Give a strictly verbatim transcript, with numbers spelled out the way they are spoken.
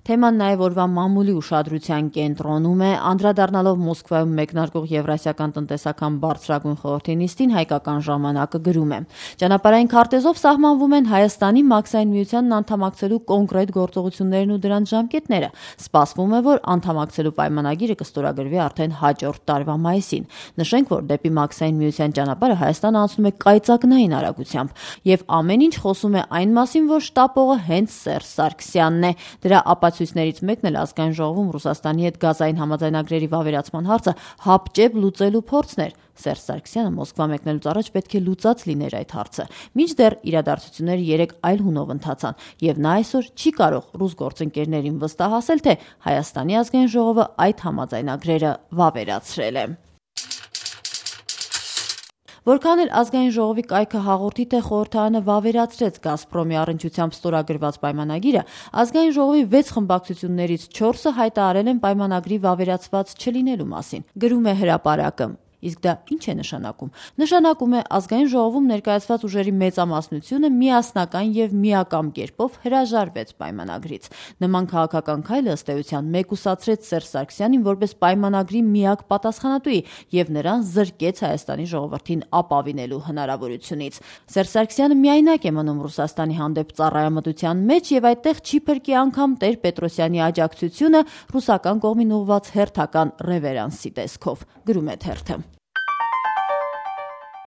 Թեման նաև օրվա մամուլի ուշադրության կենտրոնում է, անդրադառնալով Մոսկվայում մեկնարկող Եվրասիական տնտեսական բարձրագույն խորհրդի նիստին, Հայկական ժամանակը գրում է. Ճանապարհային քարտեզով սահմանվում են Հայաստանի Մաքսային միությանն անդամակցելու կոնկրետ գործողություններն ու դրանց ժամկետները։ Սպասվում է, որ անդամակցելու պայմանագիրը կստորագրվի արդեն հաջորդ տարվա մայիսին։ Նշենք, որ դեպի Մաքսային միության ճանապարհը Հայաստանը անցնում է կայծակնային արագությամբ, եւ ամեն ինչ խոսում է այն մասին, որ շտապողը հենց Սերժ Սարգսյանն է։ Դրա ապացույցներից մեկն էլ Ազգային ժողովում Ռուսաստանի հետ գազային համաձայնագրերի վավերացման հարցը հապճեպ լուծելու փորձն էր։ Սերժ Սարգսյանը Մոսկվա մեկնելուց առաջ պետք է լուծած լիներ այդ հարցը։ Մինչդեռ իրադարձությունները երեք այլ հունով ընթացան, եւ նա այսօր չի կարող ռուս գործընկերներին վստահացնել, թե Հայաստանի ազգային ժողովը այդ համաձայնագրերը վավերացրել է։ Որքան էլ ազգային ժողովի կայքը հաղորդի, թե խորհրդարանը վավերացրեց Գազպրոմի առնչությամբ ստորագրված պայմանագիրը, ազգային ժողովի վեց խմբակցություններից չորսը հայտարարել են պայմանագրի վավերացված չլինելու մասին, գրում է հրապարակը։ Իսկ դա ինչ է նշանակում։ Նշանակում է ազգային ժողովում ներկայացված ուժերի մեծամասնությունը միասնական եւ միակամ կերպով հրաժարվեց պայմանագրից։ Նման քաղաքական քայլը ըստ էության մեկուսացրեց Սերժ Սարգսյանին որպես պայմանագրի միակ պատասխանատուի եւ նրան զրկեց Հայաստանի ժողովրդին ապավինելու հնարավորությունից։ Սերժ Սարգսյանը միայնակ է մնում Ռուսաստանի հանդեպ ծառայամտության մեջ եւ այդտեղ չի փրկի անգամ Տեր-Պետրոսյանի աջակցությունը ռուսական կողմին ուղղված հերթական ռևերանսի տեսքով, գրում է թերթը։